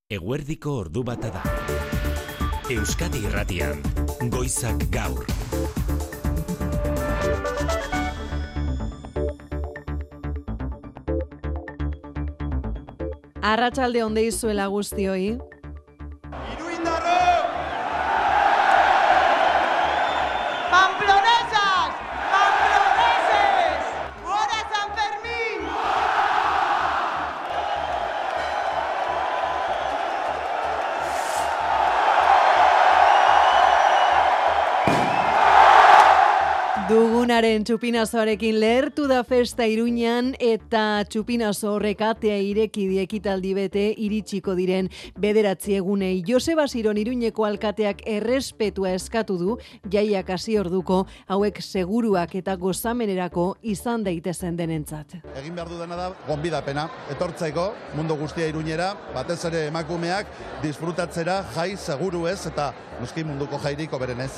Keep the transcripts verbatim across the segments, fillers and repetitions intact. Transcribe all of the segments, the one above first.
Eguerdiko ordu bata da. Euskadi Irratian, Goizak Gaur. Arratsalde on deizuela guztioi. Iruindarro! Pamplonesas! Pamploneses! Gora San Fermín! Dugunaren txupinazoarekin lehertu da festa Iruñan eta txupinazo horrek atea ireki die ekitaldi bete iritsiko diren bederatzi egunei. Joseba Siron Iruñeko alkateak errespetua eskatu du jaiak hasi orduko hauek seguruak eta gozamenerako izan daitezen denentzat. Egin behar dudana da gonbidapena, etortzeko mundu guztia Iruñera, batez ere emakumeak disfrutatzera jai seguru ez eta noski munduko jairik hoberenez.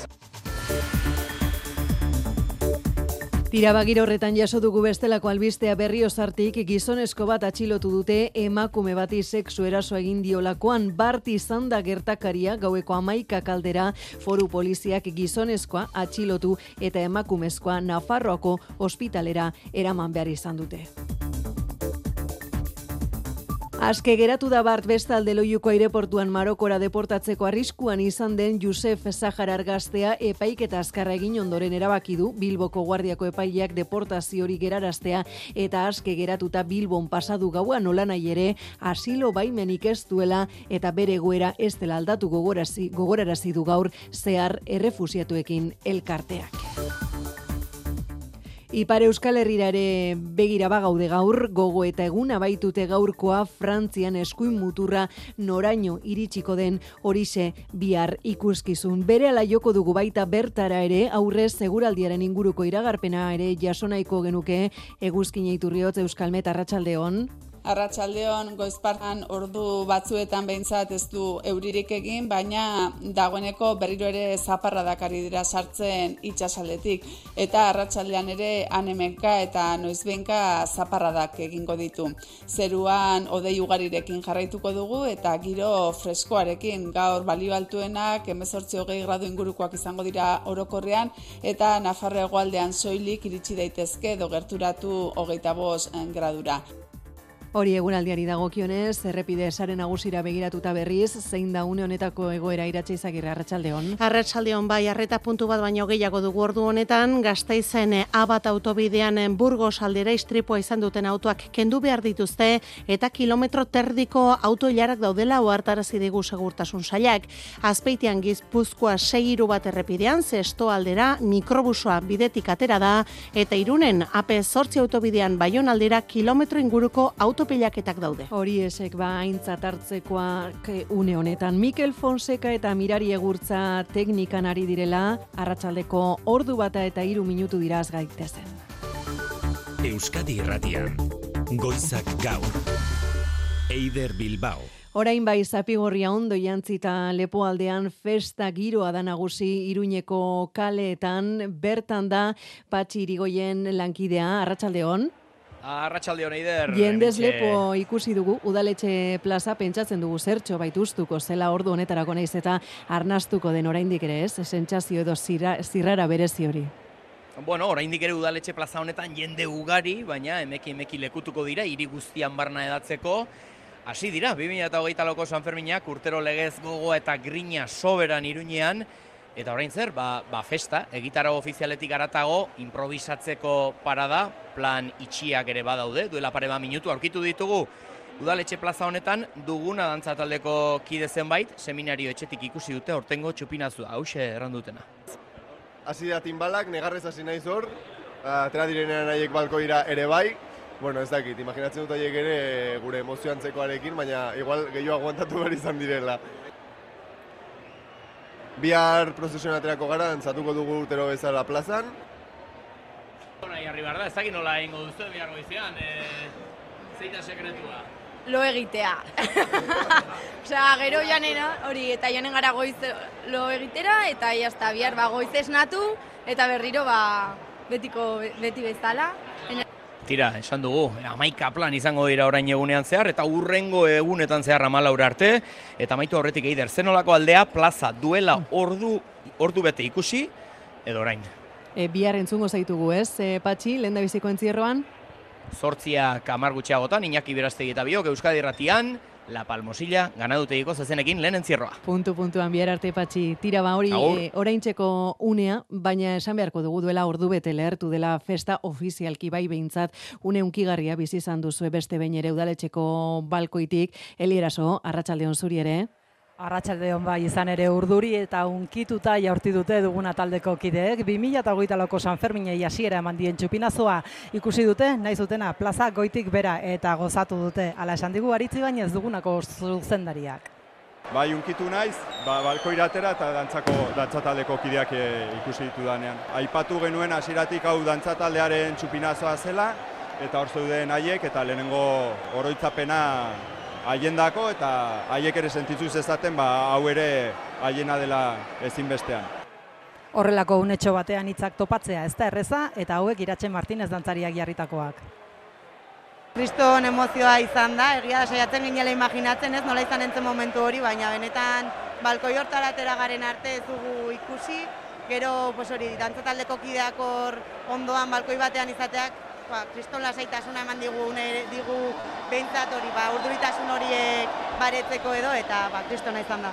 Tirabagir horretan jaso dugu bestelako albistea Berriozartik gizonezko bat atxilotu dute emakume bati sexu eraso egin diolakoan. Bart izan da gertakaria gaueko hamaika kaldera foru poliziak gizonezkoa atxilotu eta emakumezkoa Nafarroako ospitalera eraman behar izan dute. Aske geratu da Bart bestalde Loiuko aireportuan Marokora deportatzeko arriskuan izan den Josef Saharar gaztea epaiketa azkarra egin ondoren erabaki du Bilboko Guardiako epaileak deportazio hori geraraztea eta aske geratuta Bilbon pasadu gaua nolanahi ere asilo baimenik ez duela eta bere egoera ez dela aldatu gogorarazi gogorarazi du gaur zehar errefusiatuekin elkarteak. Ipar Euskal Herrira ere begira bagaude gaur, gogo eta eguna baitute gaurkoa Frantzian eskuin muturra noraino iritsiko den horixe bihar ikuskizun. Berehala joko dugu baita bertara ere, aurrez seguraldiaren inguruko iragarpena ere jasonaiko genuke Eguzkin Iturriotz Euskalmet arratsaldeon. Arratsaldeon goizpartan ordu batzuetan behintzat ez du euririk egin, baina dagoeneko berriro ere zaparradak ari dira sartzen itsasaldetik eta arratsaldean ere han-hemenka eta noizbehinka zaparradak egingo ditu. Zeruan hodei ugarirekin jarraituko dugu eta giro freskoarekin gaur balio altuenak hemezortzi hogei gradu ingurukoak izango dira orokorrean eta Nafarroa hegoaldean soilik iritsi daitezke edo gerturatu hogeita bost gradura. Hori egunaldiari dagokionez, errepide sare nagusira begiratuta berriz, zein da une honetako egoera Iratxe Izagirre, arratsaldeon. Arratsaldeon bai, arreta puntu bat baino gehiago dugu ordu honetan, Gasteizen Abat autobidean Burgos aldera istripua izan duten autoak kendu behar dituzte eta kilometro terdiko auto ilarak daudela ohartarazi digu segurtasun sailak. Azpeitian Gipuzkoa sei hiru bat errepidean, Zesto aldera mikrobusoa bidetik atera da eta Irunen A P zortzi autobidean Baiona aldera kilometro inguruko auto pilaketak daude. Hori esek ba aintzat hartzekoak une honetan. Mikel Fonseca eta Mirari Egurtza teknikan ari direla, arratsaldeko ordu bata eta hiru minutu diraz gaitezen. Euskadi Irratian, Goizak Gaur. Eider Bilbao. Orain bai Zapigorria ondo jantzita Lepoaldean festa giroa da nagusi Iruñeko kaleetan, bertan da Patxi Irigoyen lankidea, arratsaldeon. Arratsaldeon Eider. Jendez lepo ikusi dugu, udaletxe plaza pentsatzen dugu zertxo baituztuko zela ordu honetarako naiz eta arnastuko den oraindik ere ez, sentsazio edo zirrara berezi hori. Bueno, oraindik ere udaletxe plaza honetan jende ugari, baina emeki emeki lekutuko dira hiri guztian barna edatzeko. Hasi dira, bi mila hogeita lauko San Ferminak urtero legez gogo eta grina soberan Iruñean. Eta orain zer, ba, ba festa, egitarau ofizialetik aratago, improvisatzeko parada, plan itxiak ere badaude, duela pare bat minutu aurkitu ditugu. Udaletxe plaza honetan duguna dantza taldeko kide zenbait, seminario etxetik ikusi dute hortengo txupinazua, hause errandutena. Hasi da tinbalak, negarrez hasi naiz hor, atera direnean haiek balkoira ere bai. Bueno, ez dakit, imaginatzen dut haiek ere gure emozioantzekoarekin, baina igual gehiago aguantatu behar izan direla. Bihar prozesioan aterako gara, dantzatuko dugu urtero bezala plazan. Nahi harri behar da, ez dakit nola egingo duzu bihar goizean, e, zeita sekretua? Lo egitea. Osea, gero janena, hori, eta janen gara goiz lo egitera, eta jazta, bihar ba, goiz esnatu, eta berriro ba, betiko, beti bezala. tira, esan dugu, hamaika plan izango dira orain egunean zehar, eta urrengo egunetan zehar hamalaura arte, eta amaitu horretik eider, zenolako aldea plaza duela ordu, ordu bete ikusi, edo orain. E, bihar entzungo zaitugu, ez, e, Patxi, lehen da biziko entzierroan? Zortziak hamar gutxiagotan, Iñaki Berastegi eta biok, Euskadi Irratian, La Palmosilla, ganadutegiko zezenekin lehen entzierroa. Puntu puntuan bihar arte, Patxi. Tira ba hori e, oraintzeko unea, baina esan beharko dugu duela ordu bete lehertu dela festa ofizialki bai behintzat une unkigarria bizi izan duzue beste behin ere udaletxeko balkoitik. Eli Eraso, arratsaldeon zuri ere. Arratsaldeon bai izan ere urduri eta unkituta jaurti dute duguna taldeko kideek. bi mila hogeita lauko Sanferminei hasiera eman dien txupinazoa ikusi dute, nahi zutena plaza goitik bera eta gozatu dute. Hala esan digu Aritzi baina ez dugunako zuzendariak. Bai, unkitu naiz, ba, balkoira atera eta dantzako dantzataldeko kideak e, ikusi ditudanean. Aipatu genuen hasieratik hau dantzataldearen txupinazoa zela eta hor zeuden haiek eta lehenengo oroitzapena haiendako eta haiek ere sentitzu zezaten ba, hau ere haiena dela ezinbestean. Horrelako unetxo batean hitzak topatzea ez da erreza eta hauek Iratxe Martinez dantzariak jarritakoak. Kriston emozioa izan da, egia da saiatzen ginela imaginatzen ez, nola izan entzen momentu hori, baina benetan balkoi hortara atera garen arte ez dugu ikusi, gero pues hori dantzataldeko kideak hor ondoan balkoi batean izateak, ba, kriston lasaitasuna eman digu, ne, digu behintzat hori, ba, urduritasun horiek baretzeko edo, eta ba, kristona izan da.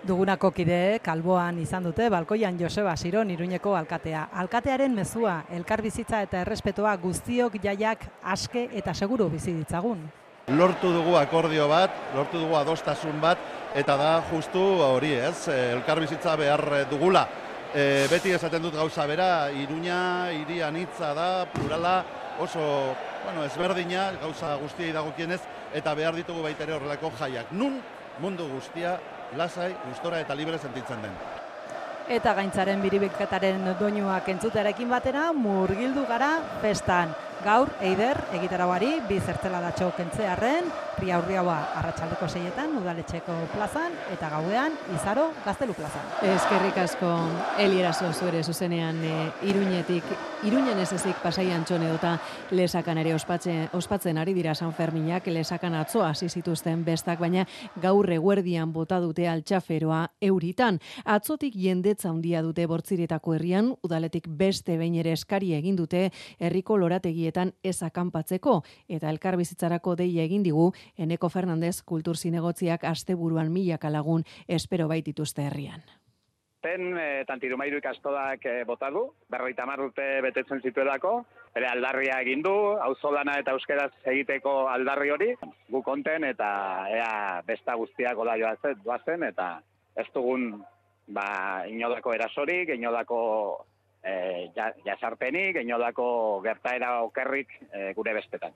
Dugunako kideek alboan izan dute balkoian Joseba Siron Iruñeko alkatea. Alkatearen mezua, elkarbizitza eta errespetoa guztiok jaiak aske eta seguru bizi ditzagun. Lortu dugu akordio bat, lortu dugu adostasun bat, eta da justu hori ez, elkarbizitza behar dugula. E, beti esaten dut gauza bera, Iruña, hiri anitza da, plurala, oso bueno, ezberdina, gauza guztiei dagokienez, eta behar ditugu baita ere horrelako jaiak. Nun mundu guztia lasai, gustora eta libre sentitzen den. Eta gaintzaren biribiketaren doinuak entzutearekin batera, murgildu gara festan. Gaur, Eider, egitarauari, bi zertzeladatxo kentzearren, Riaurriaua arratsaldeko seietan, udaletxeko plazan, eta gauean, Izaro, Gaztelu plazan. Eskerrik asko, Eli Eraso zuere zuzenean e, Iruñetik, Iruñen ez ezik Pasaian txone dota lesakan ere ospatzen, ospatzen ari dira San Ferminak, lesakan atzo hasi zituzten bestak, baina gaur eguerdian bota dute altxaferoa euritan. Atzotik jendetza handia dute Bortziretako herrian, udaletik beste behin ere eskari egin dute herriko lorategietan ez akanpatzeko, eta elkarbizitzarako deia egin digu Eneko Fernandez kultur zinegotziak asteburuan milaka lagun espero baitituzte herrian. Ten e, Tantirumairu ikastodak e, bota du, berrogeita hamar urte betetzen zituelako, bere aldarria egin du, auzolana eta euskeraz egiteko aldarri hori, gu konten eta ea besta guztiak gola joazen, doazen, eta ez dugun ba, inolako erasorik, inolako e, jasarpenik, inolako gertaera okerrik e, gure bestetan.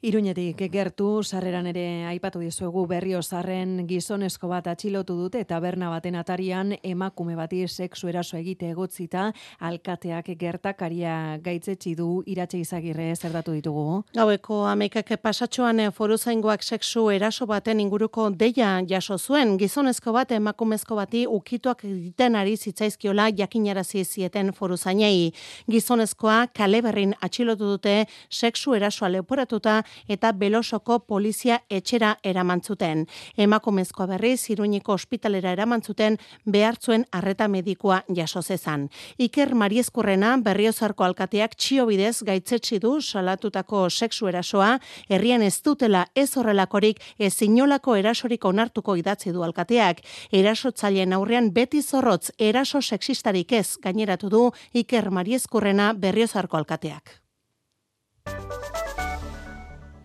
Iruñetik gertu, sarreran ere aipatu dizuegu Berriozarren gizonezko bat atxilotu dute eta taberna baten atarian emakume bati sexu eraso egite egotzita alkateak gertakaria gaitzetsi du. Iratxe Izagirre zerdatu ditugu. Gaueko hamaikak pasatxoan foruzaingoak sexu eraso baten inguruko deia jaso zuen. Gizonezko bat emakumezko bati ukituak egiten ari zitzaizkiola jakinarazi zieten foruzainei. Gizonezkoa Kaleberrin atxilotu dute sexu erasoa leporatuta eta Belosoko polizia etxera eramantzuten. Emakumezkoa berriz Iruñeko ospitalera eramantzuten behartzuen arreta medikoa jaso zezan. Iker Mariezkurrena Berriozarko alkateak txio bidez gaitzetsi du salatutako sexu erasoa, herrian ez dutela ez horrelakorik ez inolako erasorik onartuko idatzi du alkateak. Erasotzaileen aurrean beti zorrotz eraso sexistarik ez gaineratu du Iker Mariezkurrena Berriozarko alkateak.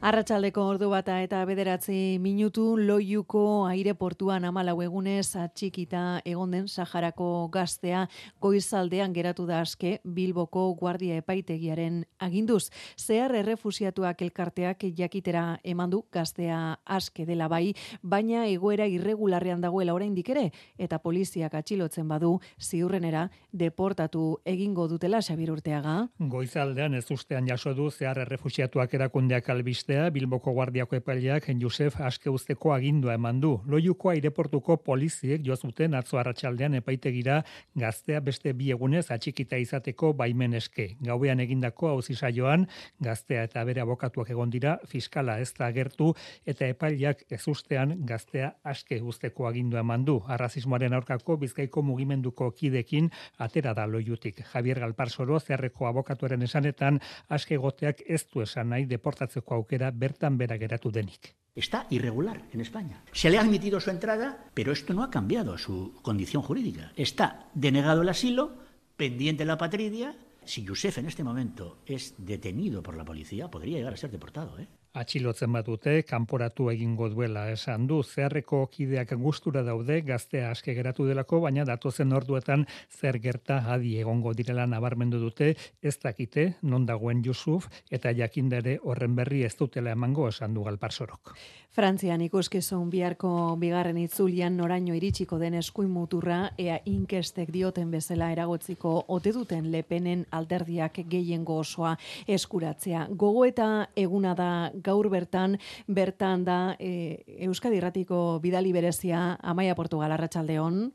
Arratsaldeko ordu bata eta bederatzi minutu Loiuko aireportuan hamalau egunez atxikita egon den Saharako gaztea goizaldean geratu da aske Bilboko Guardia Epaitegiaren aginduz. Zehar errefusiatuak elkarteak jakitera eman du gaztea aske dela bai, baina egoera irregularrean dagoela oraindik ere eta poliziak atxilotzen badu ziurrenera deportatu egingo dutela. Xabir Urteaga. Goizaldean ez ustean jaso du zehar errefusiatuak erakundeak albiste ustea, Bilboko Guardiako epaileak Josef aske uzteko agindua eman du. Loiuko aireportuko poliziek jo zuten atzo arratsaldean epaitegira gaztea beste bi egunez atxikita izateko baimen eske. Gauean egindako auzi saioan gaztea eta bere abokatuak egon dira, fiskala ez da agertu eta epaileak ezustean gaztea aske uzteko agindua eman du. Arrazismoaren aurkako Bizkaiko mugimenduko kidekin atera da Loiutik. Javier Galparsoro, zeharreko abokatuaren esanetan, aske egoteak ez du esan nahi deportatzeko aukera bertan bera geratu denik. Está irregular en España. Se le ha admitido su entrada, pero esto no ha cambiado su condición jurídica. Está denegado el asilo, pendiente la patria. Si Josef en este momento es detenido por la policía, podría llegar a ser deportado, ¿eh? Atxilotzen badute, kanporatu egingo duela esan du. Zeharreko kideak gustura daude, gaztea aske geratu delako, baina datozen orduetan zer gerta adi egongo direla nabarmendu dute, ez dakite non dagoen Josef eta jakindere horren berri ez dutela emango esan du Galparsorok. Frantzian ikuskizun biharko bigarren itzulian noraino iritsiko den eskuin muturra, ea inkestek dioten bezala eragotziko ote duten Le Penen alderdiak gehiengo osoa eskuratzea. Gogo eta eguna da gaur bertan, bertan da e, Euskadi Irratiko bidali berezia Amaia Portugal, arratsaldeon.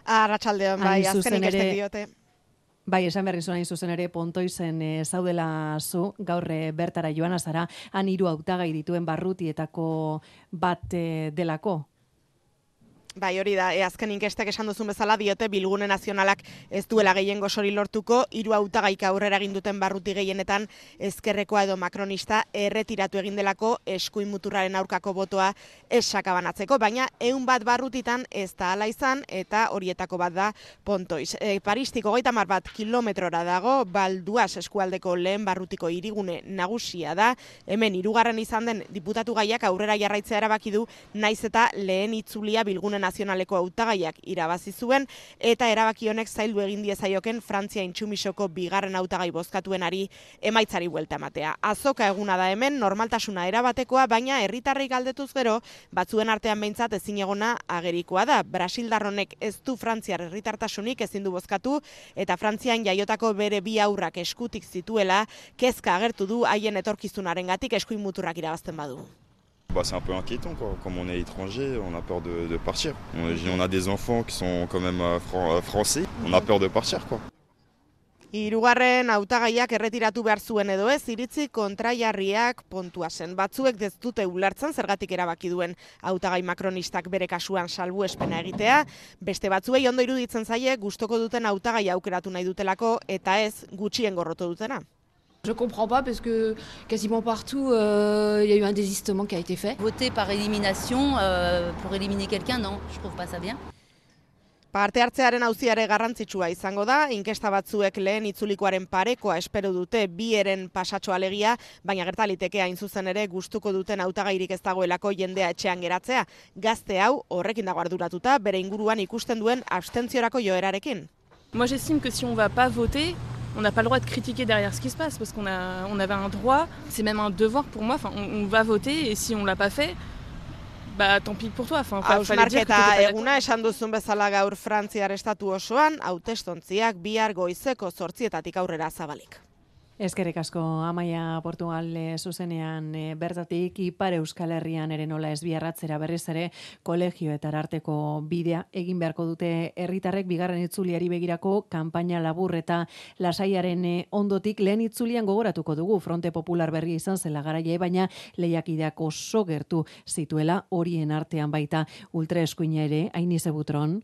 Arratsaldeon, bai, azken inkestek diote. Bai, esan berri zuen zuzen ere Pontoizen e, zaudela zu, gaur e, bertara joana zara, han hiru hautagai dituen barrutietako bat e, delako. Bai, hori da, e, azken inkestek esan duzun bezala diote Bilgune Nazionalak ez duela gehiengo sori lortuko, hiru hautagaik aurrera egin duten barruti gehienetan ezkerrekoa edo makronista erretiratu egin delako eskuin muturraren aurkako botoa ez sakabanatzeko, baina ehun bat barrutitan ez da hala izan eta horietako bat da Pontoiz. E, Paristik hogeita hamar bat kilometrora dago, Balduaz eskualdeko lehen barrutiko hirigune nagusia da, hemen hirugarren izan den diputatu gaiak aurrera jarraitzea erabaki du, naiz eta lehen itzulia Bilgune Nazionaleko hautagaiak irabazi zuen eta erabaki honek zaildu egin diezaioken Frantzia intsumisoko bigarren hautagai bozkatuenari emaitzari buelta ematea. Azoka eguna da hemen, normaltasuna erabatekoa, baina herritarrei galdetuz gero, batzuen artean behintzat ezinegona agerikoa da. Brasildar honek ez du frantziar herritartasunik ezin du bozkatu eta Frantzian jaiotako bere bi haurrak eskutik zituela, kezka agertu du haien etorkizunarengatik eskuin muturrak irabazten badu. Bah, c'est un peu inquiétant, quoi. Comme on est étranger, on a peur de, de partir. On, on a des enfants qui sont quand même euh, fran- français, on a peur de partir, quoi. Hirugarren hautagaiak erretiratu behar zuen edo ez, iritzi kontrajarriak Pontoisen. Batzuek ez dute ulertzen zergatik erabaki duen hautagai makronistak bere kasuan salbuespena egitea, beste batzuei ondo iruditzen zaie gustoko duten hautagai aukeratu nahi dutelako eta ez gutxien gorroto dutena. Je comprends pas parce que quasiment partout euh, il y a eu un désistement qui a été fait. Voter par élimination euh, pour éliminer quelqu'un, non, je trouve pas ça bien. Parte hartzearen auziare garrantzitsua izango da, inkesta batzuek lehen itzulikoaren parekoa espero dute bi eren pasatxo alegia, baina gertaliteke hain zuzen ere gustuko duten hautagairik ez dagoelako jendea etxean geratzea. Gazte hau horrekin dago arduratuta, bere inguruan ikusten duen abstentziorako joerarekin. Moi j'estime que si on va pas voter, on n'a pas le droit de critiquer derrière ce qui se passe, parce qu'on a, on avait un droit, c'est même un devoir pour moi, enfin, on, on va voter, et si on l'a pas fait, bah tant pis pour toi. Enfin, Hausnarketa eguna esan duzun bezala gaur Frantziar estatu osoan, hautestontziak bihar goizeko zortzietatik aurrera zabalik. Eskerrik asko Amaia Portugal zuzenean e, bertatik Ipar Euskal Herrian ere nola ez biarratzera berriz ere kolegioetara arteko bidea egin beharko dute herritarrek bigarren itzuliari begirako kanpaina labur eta lasaiaren e, ondotik lehen itzulian gogoratuko dugu Fronte Popular berria izan zela garaie, baina lehiakideak oso gertu zituela horien artean baita ultraeskuina ere Ainize Butron.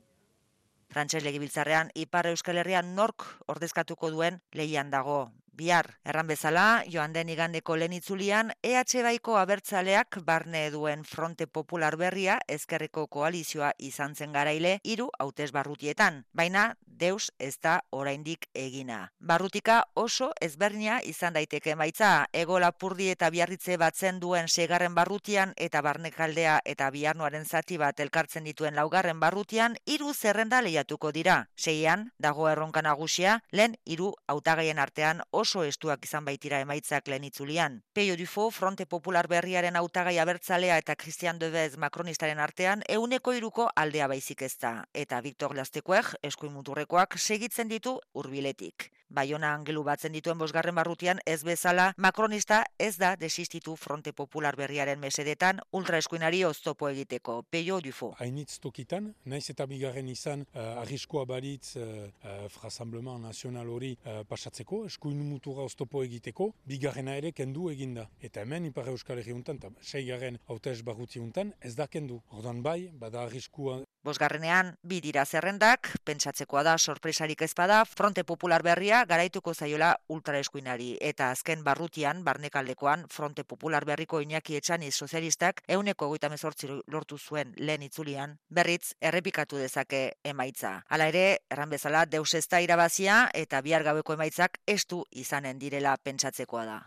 Frantses legebiltzarrean Ipar Euskal Herrian nork ordezkatuko duen lehian dago. Bihar, erran bezala, joan den igandeko lehen itzulian, E H Baiko abertzaleak barne duen Fronte Popular berria ezkerreko koalizioa izan zen garaile hiru hautes barrutietan, baina deus ez da oraindik egina. Barrutika oso ezberdina izan daiteke emaitza, Hego Lapurdi eta Biarritze batzen duen seigarren barrutian eta Barnekaldea eta Biarnoaren zati bat elkartzen dituen laugarren barrutian hiru zerrenda lehiatuko dira. Seian, dago erronka nagusia, lehen hiru hautagaien artean oso estuak izan baitira emaitzak lehen itzulian. Peio Dufo, Fronte Popular berriaren hautagai abertzalea eta Christian Devez makronistaren artean ehuneko hiruko aldea baizik ez da. Eta Victor Lastekuek, eskuin muturrekoak, segitzen ditu hurbiletik. Baiona angelu batzen dituen bosgarren barrutian ez bezala, makronista ez da desistitu Fronte Popular berriaren mesedetan ultraeskuinari oztopo egiteko. Peio Dufo. Hainitz tokitan, naiz eta bigarren izan uh, arriskoa baritz uh, uh, Rassemblement Nazional hori uh, pasatzeko, eskuin mutura oztopo egiteko, bigarrena ere kendu eginda. Eta hemen Ipar Euskal Herri untan, eta seigarren hautez barruti untan, ez da kendu. Ordan bai, bada arriskua. Bosgarrenean, bi dira zerrendak, pentsatzekoa da sorpresarik ezpada, Fronte Popular berria garaituko zaiola ultraeskuinari. Eta azken barrutian, barnekaldekoan, Fronte Popular berriko Iñaki Etxaniz sozialistak euneko hogeita hemezortzi lortu zuen lehen itzulian, berriz errepikatu dezake emaitza. Hala ere, erran bezala, deus ez da irabazia eta bihar gaueko emaitzak estu izanen direla pentsatzekoa da.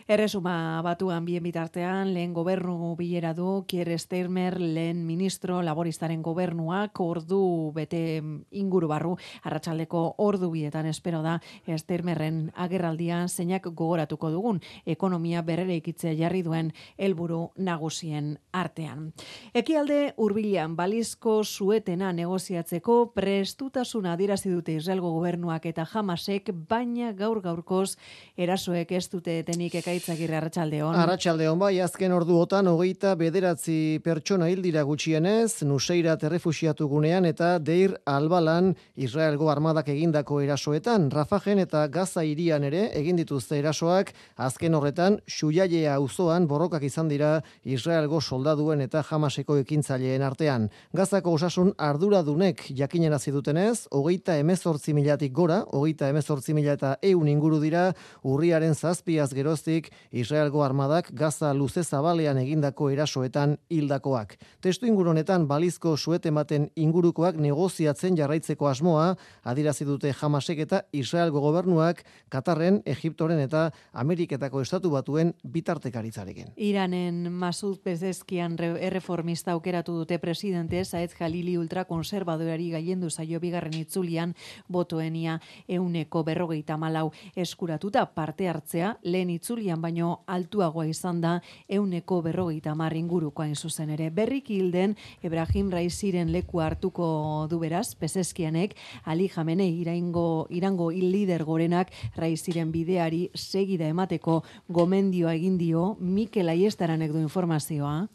Erresuma batuan bien bitartean, lehen gobernu bilera du, Kier Starmer, lehen ministro laboristaren gobernu ordu bete inguru barru, arratsaldeko ordu bietan espero da Starmerren agerraldia zeinak gogoratuko dugun ekonomia berreraikitzea jarri duen helburu nagusien artean. Ekialde hurbilean balizko suetena negoziatzeko prestutasuna adierazi dute Israelgo gobernuak eta Hamasek, baina gaur gaurkoz erasoek ez dute etenik. Ekaitzagirre, arratsaldeon. Arratsaldeon, bai, azken orduotan hogeita bederatzi pertsona hil dira gutxienez, Nuseirat errefuxiatu gunean eta Deir Albalan Israelgo armadak egindako erasoetan, Rafajen eta Gaza hirian ere egin dituzte erasoak, azken horretan Xujaia auzoan borrokak izan dira Israelgo soldaduen eta Hamaseko ekintzaileen artean. Gazako osasun arduradunek jakinarazi dutenez, hogeita hemezortzi milatik gora, hogeita hemezortzi mila eta ehun inguru dira urriaren zazpiaz geroztik Israelgo armadak Gaza luze zabalean egindako erasoetan hildakoak. Testu inguru honetan balizko suete ematen ingurukoak negoziatzen jarraitzeko asmoa adierazi dute Hamasek eta Israelgo gobernuak Katarren, Egiptoren eta Ameriketako estatu batuen bitartekaritzarekin. Iranen Masud Pezeshkian erreformista aukeratu dute presidente, Saed Jalili ultrakonservadorari gailendu zaio bigarren itzulian botoenia euneko berrogeita malau eskuratuta, parte hartzea lehen itzulian baino altuagoa izan da euneko berrogeita hamar inguruko hain zuzen ere. Berriki hilden Ebrahim Raiziren leku hartuko du beraz, Pezeshkianek, Ali Jamenei iraingo, irango lider gorenak Raiziren bideari segida emateko gomendioa egin dio. Mikel Aiestaranek du informazioa.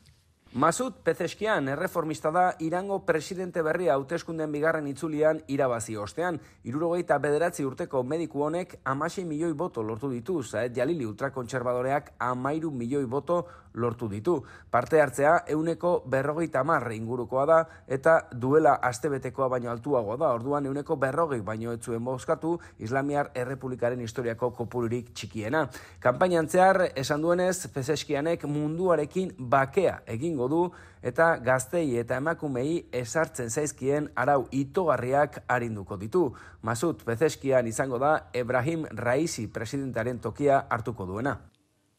Masud Pezeshkian erreformista da Irango presidente berria hauteskunden bigarren itzulian irabazi ostean. Hirurogeita bederatzi urteko mediku honek hamasei milioi boto lortu ditu, Saed Jalili ultrakontserbadoreak hamairu milioi boto lortu ditu. Parte hartzea euneko berrogeita hamar ingurukoa da eta duela astebetekoa baino altuagoa da. Orduan euneko berrogei baino ez zuen bozkatu, Islamiar Errepublikaren historiako kopururik txikiena. Kanpainan zehar esan duenez, Pezeshkianek munduarekin bakea egingo du eta gaztei eta emakumei esartzen zaizkien arau itogarriak arinduko ditu. Masud Pezeshkian izango da Ebrahim Raizi presidentaren tokia hartuko duena.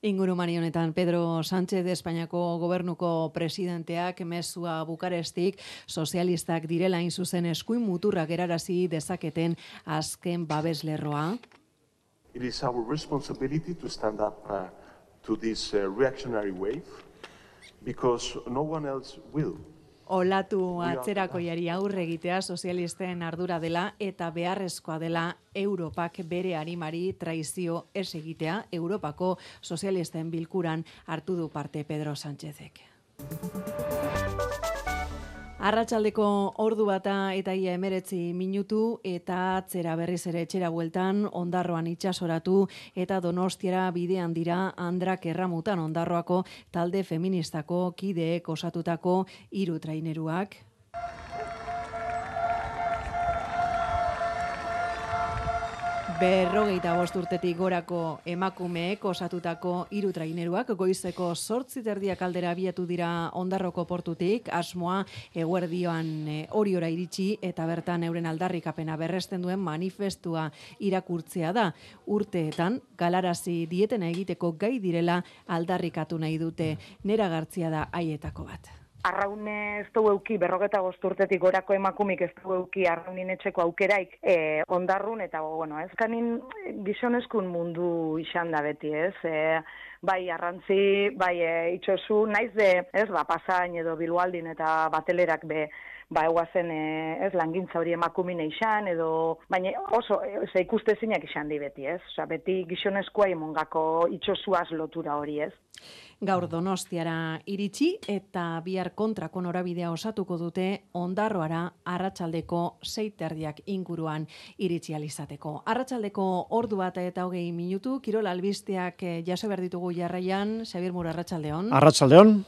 Ingurumari honetan Pedro Sánchez Espainiako gobernuko presidenteak mezua Bukarestik sozialistak direla hain zuzen eskuin muturrak erarazi dezaketen azken babeslerroa. It is our responsibility to stand up uh, to this uh, reactionary wave because no one else will. Olatu atzerakoiari aurre egitea sozialisten ardura dela eta beharrezkoa dela Europak bere arimari traizio ez egitea. Europako sozialisten bilkuran hartu du parte Pedro Sánchezek. Arratsaldeko ordu bata eta ia emeretzi minutu eta atzera berriz ere etxera bueltan Ondarroan itsasoratu eta Donostiara bidean dira Andrak Erramutan Ondarroako talde feministako kideek osatutako hiru traineruak. Berrogeita bost urtetik gorako emakumeek osatutako hiru traineruak goizeko zortzi terdiak aldera abiatu dira Ondarroko portutik, asmoa eguerdioan Oriora iritsi eta bertan euren aldarrikapena berresten duen manifestua irakurtzea da. Urteetan galarazi dietena egiteko gai direla aldarrikatu nahi dute. Nera Gartzia da haietako bat. Arraune ez du euki, berrogeta gozturtetik gorako emakumik ez du euki arraunin etxeko aukeraik e, ondarrun, eta bueno, ezkanin gizonezkun mundu izan da beti, ez? E, bai arrantzi, bai e, itxosu, naiz de, ez, ba, pasain edo bilualdin eta batelerak be, ba, eguazen, e, ez, langintza hori emakumin eixan, edo, baina oso, ez, ikustezinak izan di beti, ez, oza, beti gizonezkoa imongako itxosuaz lotura hori, ez. Gaur Donostiara iritsi eta bihar kontrako norabidea osatuko dute Ondarroara arratsaldeko sei terdiak inguruan iritsi alizateko. Arratsaldeko ordu bat eta hogei minutu, Kirol albisteak jaso behar ditugu jarraian, Xabier Muro, arratsaldeon. Arratsaldeon.